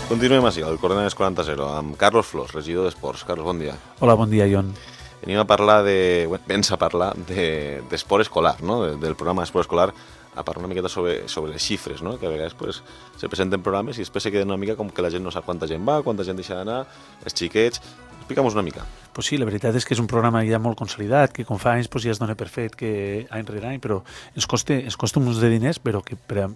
Continuem així, al Coordenades 40 amb Carlos Flors, regidor d'Esports. Carlos, bon dia. Hola, bon dia, Ion. Venim a parlar d'esport escolar, no? Del programa d'esport escolar, a parlar una miqueta sobre les xifres, no? Que a vegades pues, se presenten programes i després se queden una mica com que la gent no sap quanta gent va, quanta gent deixa d'anar, els xiquets. Explica'm-nos una mica. Pues sí, la veritat és que és un programa ja molt consolidat, que com fa anys pues, ja es dona per fet que any rere any, però ens costa uns de diners, però que per a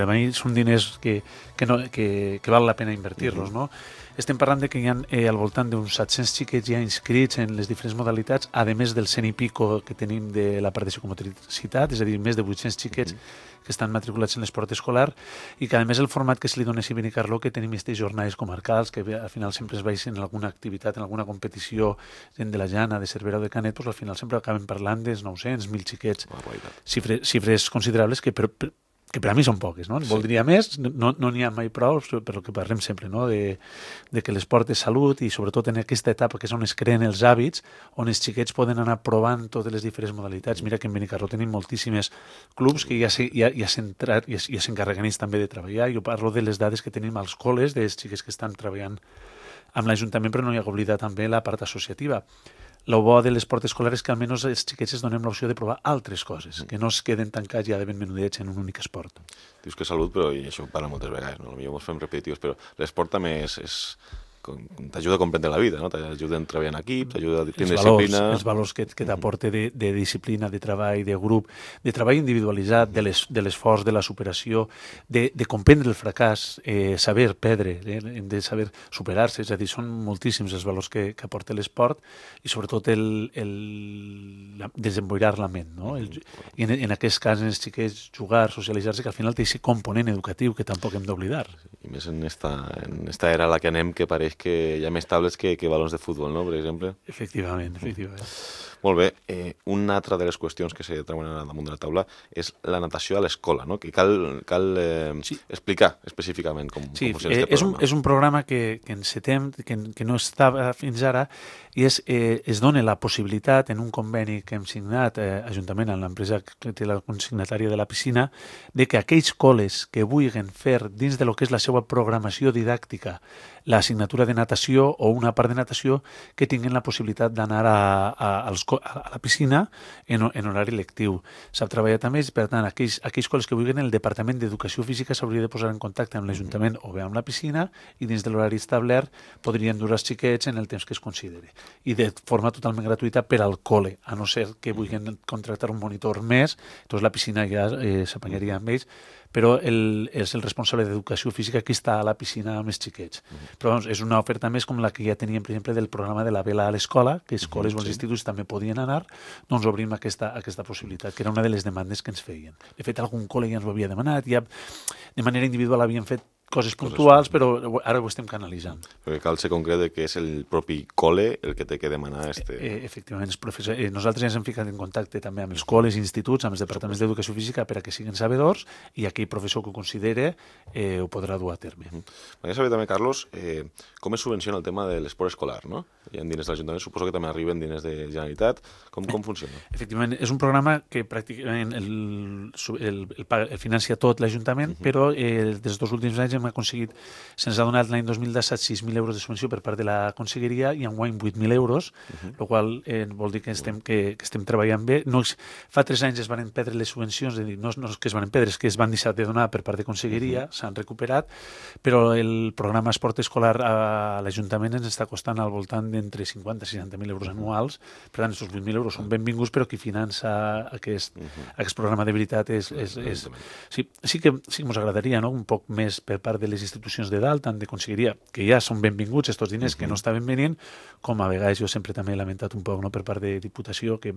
mi són diners que val la pena invertir-los, no? Estem parlant de que hi ha al voltant d'uns 700 xiquets ja inscrits en les diferents modalitats, a més del 100 i pico que tenim de la part de psicomotricitat, és a dir, més de 800 xiquets que estan matriculats en l'esport escolar i que a més el format que se li dona a Benicarló, que tenim aquestes jornades comarcals que al final sempre es baixen en alguna activitat, en alguna competició de la Jana, de Cervera o de Canet, doncs al final sempre acaben parlant dels 900, 1.000 xiquets, xifres considerables que per a mi són poques, no? Sí. Voldria més, no n'hi ha mai prou, per el que parlem sempre, no? De que l'esport és salut i sobretot en aquesta etapa que és on es creen els hàbits, on els xiquets poden anar provant totes les diferents modalitats. Mira que en Benicarló tenim moltíssimes clubs que ja s'encarreguen ells també de treballar. Jo parlo de les dades que tenim als col·les, dels xiquets que estan treballant amb l'Ajuntament, però no hi ha d'oblidar també la part associativa. El bo de l'esport escolar és que almenys els xiquets es donem l'opció de provar altres coses, que no es queden tancats ja de ben menudets en un únic esport. Dius que salut, però i això ho parla moltes vegades, no? Potser ens fem repetitius, però l'esport també t'ajuda a comprendre la vida, no? T'ajuda a treballar en equip, t'ajuda a tenir disciplina. Els valors que t'aporta de disciplina, de treball, de grup, de treball individualitzat, de l'esforç, de la superació, de comprendre el fracàs, saber perdre, de saber superar-se, és a dir, són moltíssims els valors que aporta l'esport i sobretot el desemboirar la ment, no? I en aquest cas, en els xiquets, jugar, socialitzar-se, que al final té aquest component educatiu que tampoc hem d'oblidar. I més en esta era a la que anem, que pareix que hi ha més tablets que balons de futbol, no?, per exemple. Efectivament. Molt bé. Una altra de les qüestions que se treuen damunt de la taula és la natació a l'escola, no? Que cal explicar específicament com funciona aquest programa. És un programa que encetem, que no estava fins ara, i es dona la possibilitat, en un conveni que hem signat Ajuntament amb l'empresa que té la consignatària de la piscina, de que aquells col·les que vulguin fer dins de lo que és la seva programació didàctica l'assignatura de natació o una part de natació, que tinguin la possibilitat d'anar a la piscina en horari lectiu. S'ha treballat amb ells, per tant, aquells col·les que vulguin, el Departament d'Educació Física s'hauria de posar en contacte amb l'Ajuntament o bé amb la piscina i dins de l'horari establert podrien dur els xiquets en el temps que es consideri. I de forma totalment gratuïta per al col·le, a no ser que vulguin contractar un monitor més, doncs la piscina ja s'apanyaria amb ells, però és el responsable d'Educació Física que està a la piscina amb els xiquets. Però doncs, és una oferta més com la que ja teníem, per exemple, del programa de la vela a l'escola, que escoles o els instituts també podien anar, doncs obrim aquesta possibilitat, que era una de les demandes que ens feien. De fet, algun col·le ja ens ho havia demanat, ja de manera individual havien fet coses puntuals, però ara ho estem canalitzant. Perquè cal ser concret que és el propi col·le el que té que demanar Efectivament, nosaltres ja ens hem ficat en contacte també amb els col·les i instituts, amb els departaments d'Educació Física per a que siguin sabedors i aquell professor que ho considere ho podrà dur a terme. M'agradaria saber també, Carlos, com es subvenciona el tema de l'esport escolar, no? Hi ha diners de l'Ajuntament, suposo que també arriben diners de Generalitat. Com funciona? Efectivament, és un programa que pràcticament el financia tot l'Ajuntament, però dels 2 últims anys hem aconseguit, se'ns ha donat l'any 2017 6.000 euros de subvenció per part de la Conselleria i enguany 8.000 euros, el qual vol dir que estem treballant bé. Fa 3 anys es van perdre les subvencions, no és que es van perdre, és que es van deixar de donar per part de Conselleria, s'han recuperat, però el programa Esport Escolar a l'Ajuntament ens està costant al voltant d'entre 50 i 60.000 euros anuals. Per tant, aquests 8.000 euros són benvinguts, però qui finança aquest programa de veritat és... Sí que ens agradaria, no?, un poc més per part de les institucions de dalt, tant de Conselleria, que ja són benvinguts aquests diners que no estaven venint, com a vegades jo sempre també he lamentat un poc, no?, per part de Diputació, que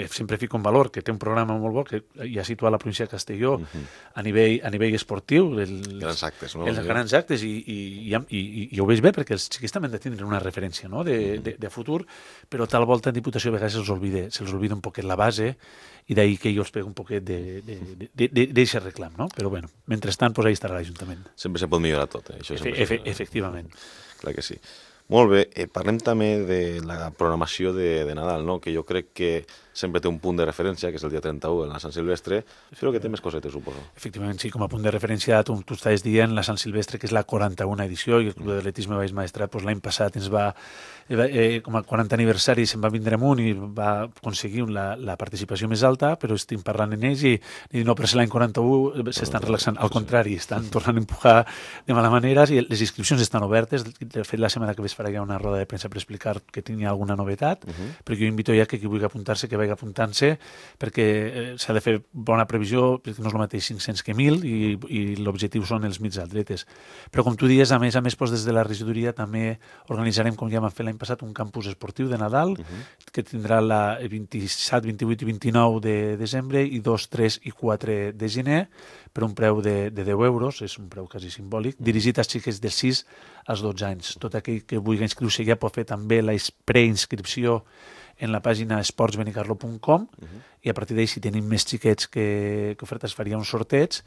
sempre fico en valor que té un programa molt bo que ja situa la província de Castelló a nivell esportiu, grans actes, no? Els grans actes, i ho veig bé perquè els xiquets també han de tindre una referència, no?, de futur, però tal volta en Diputació a vegades se'ls olvida un poquet la base i d'ahir que jo els pego un poquet d'aquest reclam, no? Però bueno, mentrestant, pues ahí estarà l'Ajuntament. Sempre se pot millorar tot, això efectivament. Clar que sí. Molt bé, parlem també de la programació de Nadal, no?, que jo crec que sempre té un punt de referència, que és el dia 31, en la Sant Silvestre, però que té més cosetes, suposo. Efectivament, sí, com a punt de referència, tu estaves dient la Sant Silvestre, que és la 41a edició, i el Club d'Atletisme Baix Maestrat l'any passat ens va, com a 40 aniversari, se'n va vindre amunt i va aconseguir la participació més alta, però estic parlant en ells i no, per ser l'any 41 s'estan relaxant. Al contrari, estan tornant a empujar de mala manera i les inscripcions estan obertes. De fet, la setmana que ve es farà ja una roda de premsa per explicar que tingui alguna novetat, però jo invito ja que qui vulgui apuntar-se, que vagi apuntant-se, perquè s'ha de fer bona previsió, perquè no és el mateix 500 que 1.000 i l'objectiu són els mig atletes. Però com tu dius, a més, doncs, des de la regidoria també organitzarem, com ja vam fer l'any passat, un campus esportiu de Nadal, que tindrà el 27, 28 i 29 de desembre i 2, 3 i 4 de gener, per un preu de 10 euros, és un preu quasi simbòlic, dirigit als xiquets de 6 als 12 anys. Tot aquell que vulgui inscriure-se ja pot fer també la preinscripció en la pàgina esportsbenicarlo.com i a partir d'ahí, si tenim més xiquets que ofertes, faria un sorteig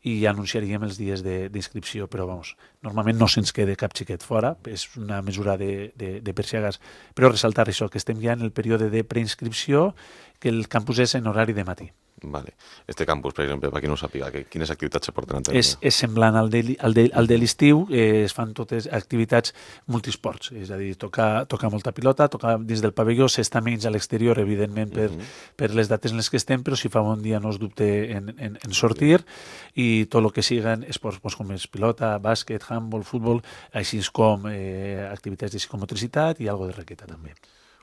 i anunciaríem els dies d'inscripció, però vamos, normalment no se'ns queda cap xiquet fora, és una mesura de per si acaso, però ressaltar això, que estem ja en el període de preinscripció, que el campus és en horari de matí. Vale. Este campus, per exemple, per qui no ho sàpiga, quines activitats se porten a terme? És semblant al de l'estiu, es fan totes activitats multisports, és a dir, tocar molta pilota, tocar dins del pavelló, s'està menys a l'exterior, evidentment, per les dates en les que estem, però si fa bon dia no es dubte en sortir, i tot el que siguen esports com és pilota, bàsquet, handball, futbol, així com activitats de psicomotricitat i algo de raqueta també.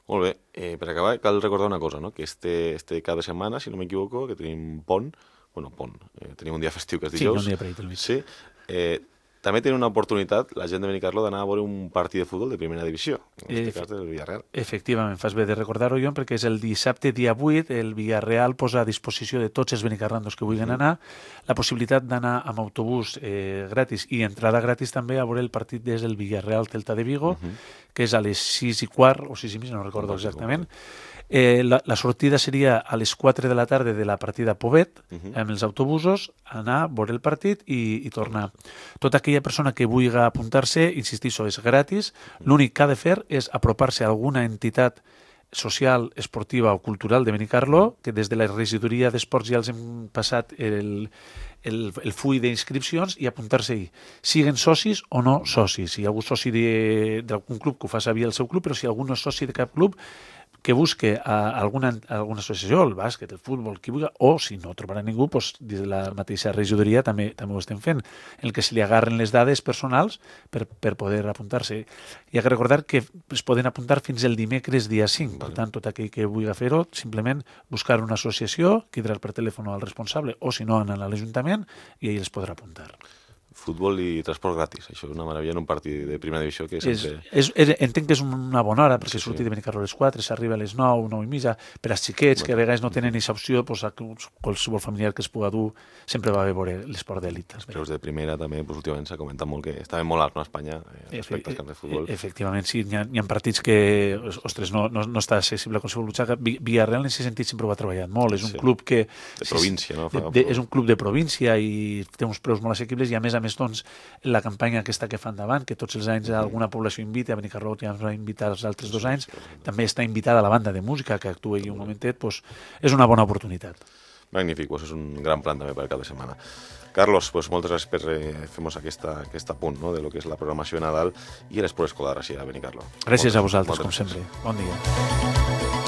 Molt bé, per acabar cal recordar una cosa, no? Que este cada setmana, si no m'equivoco, que tenim pont, tenim un dia festiu que és dijous. Sí, un dia per ahí pel mig. Sí, també tenim una oportunitat, la gent de Benicarló, d'anar a veure un partit de futbol de primera divisió, en aquest cas del Villarreal. Efectivament, fas bé de recordar-ho, Jon, perquè és el dissabte, dia 8, el Villarreal posa a disposició de tots els benicarrandos que vulguin anar la possibilitat d'anar amb autobús gratis i entrada gratis també a veure el partit des del Villarreal Celta de Vigo, que és a les 6:15 o 6:30, no recordo exactament. La sortida seria a les 4 de la tarda de la partida Pobet, amb els autobusos, anar a veure el partit i tornar. Tota aquella persona que vulgui apuntar-se, insistixo, és gratis. L'únic que ha de fer és apropar-se a alguna entitat social, esportiva o cultural de Benicarló, que des de la regidoria d'esports ja els hem passat el full d'inscripcions i apuntar-se-hi. Siguen socis o no socis. Si hi ha algú soci d'algun club, que ho fa saber el seu club, però si algú no és soci de cap club, que busque alguna associació, el bàsquet, el futbol, qui vulgui, o si no trobarà ningú, doncs, des de la mateixa regidoria també ho estem fent, en el que se li agarren les dades personals per poder apuntar-se. Hi ha que recordar que es poden apuntar fins el dimecres dia 5, per tant, tot aquell que vulgui fer-ho, simplement buscar una associació, cridar per telèfon al responsable, o si no, anar a l'Ajuntament i ell els podrà apuntar. Futbol i transport gratis, això és una meravella en un partit de primera divisió que sempre... Entenc que és una bona hora, perquè surti de Benicarló a les 4, s'arriba a les 9, 9:30, per als xiquets, que a vegades no tenen aquesta opció, qualsevol familiar que es pugui dur sempre va a veure l'esport d'elit. Els preus de primera també, últimament s'ha comentat molt que estaven molt alts a Espanya respecte als camps de futbol. Efectivament, sí, hi ha partits que, ostres, no està accessible a qualsevol butxaca. Villarreal en aquest sentit sempre ho ha treballat molt, és un club que... De província, no? És un club de província i té uns preus molt assequibles i a més doncs, la campanya aquesta que fan davant, que tots els anys alguna població invita, a Benicarló ja ens va invitar els altres 2 anys, també està invitada la banda de música que actuï un momentet, doncs és una bona oportunitat. Magnífic, és un gran plan també per cada setmana. Carlos, moltes gràcies per fer-nos aquest apunt, no?, de lo que és la programació de Nadal i l'esport escolar així a Benicarló. Gràcies a vosaltres, com sempre. Bon dia.